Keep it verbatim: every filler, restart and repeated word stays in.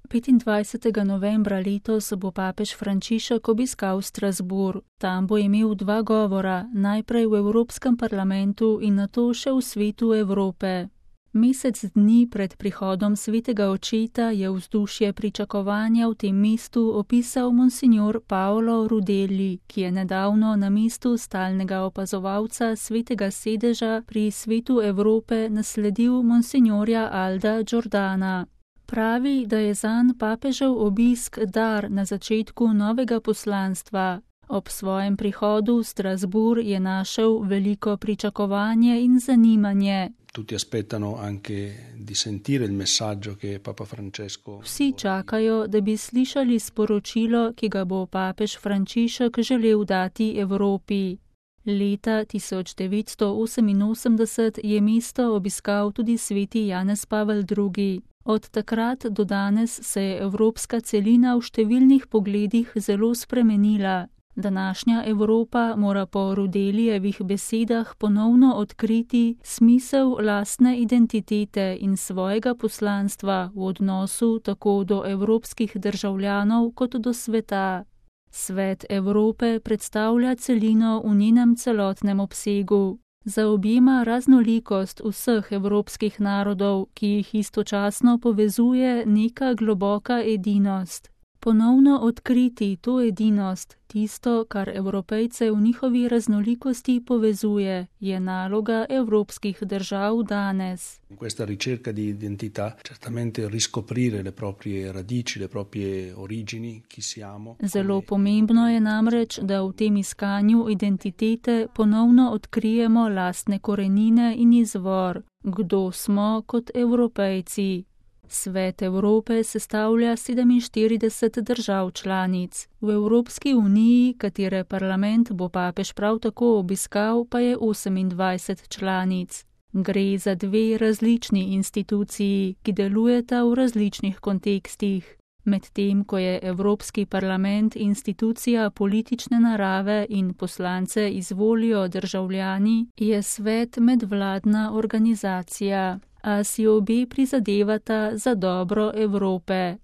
petindvajsetega novembra letos bo papež Frančišek obiskal Strasbourg. Tam bo imel dva govora, najprej v Evropskem parlamentu in nato še v Svetu Evrope. Mesec dni pred prihodom svetega očeta je vzdušje pričakovanja v tem mestu opisal monsignor Paolo Rudelli, ki je nedavno na mestu stalnega opazovalca svetega sedeža pri Svetu Evrope nasledil monsignorja Alda Giordana. Pravi, da je zanj papežev obisk dar na začetku novega poslanstva. Ob svojem prihodu v Strasbourg je našel veliko pričakovanje in zanimanje. Tutti aspettano anche di sentire il messaggio che Papa Francesco. Vsi čakajo, da bi slišali sporočilo, ki ga bo papež Frančišek želel dati Evropi. Leta tisoč devetsto oseminosemdeset je mesto obiskal tudi sveti Janez Pavel drugi. Od takrat do danes se je evropska celina v številnih pogledih zelo spremenila. Današnja Evropa mora po Rudelijevih besedah ponovno odkriti smisel lastne identitete in svojega poslanstva v odnosu tako do evropskih državljanov kot do sveta. Svet Evrope predstavlja celino v njenem celotnem obsegu. Zaobjema raznolikost vseh evropskih narodov, ki jih istočasno povezuje neka globoka edinost. Ponovno odkriti to edinost, tisto, kar Evropejce v njihovi raznolikosti povezuje, je naloga evropskih držav danes. Questa ricerca di identità, certamente riscoprire le proprie radici, le proprie origini, chi siamo. Zelo pomembno je namreč, da v tem iskanju identitete ponovno odkrijemo lastne korenine in izvor, kdo smo kot Evropejci. Svet Evrope sestavlja sedeminštirideset držav članic. V Evropski uniji, katere parlament bo papež prav tako obiskal, pa je osemindvajset članic. Gre za dve različni instituciji, ki delujeta v različnih kontekstih. Medtem ko je Evropski parlament institucija politične narave in poslance izvolijo državljani, je svet medvladna organizacija. A si obe prizadevata za dobro Evrope.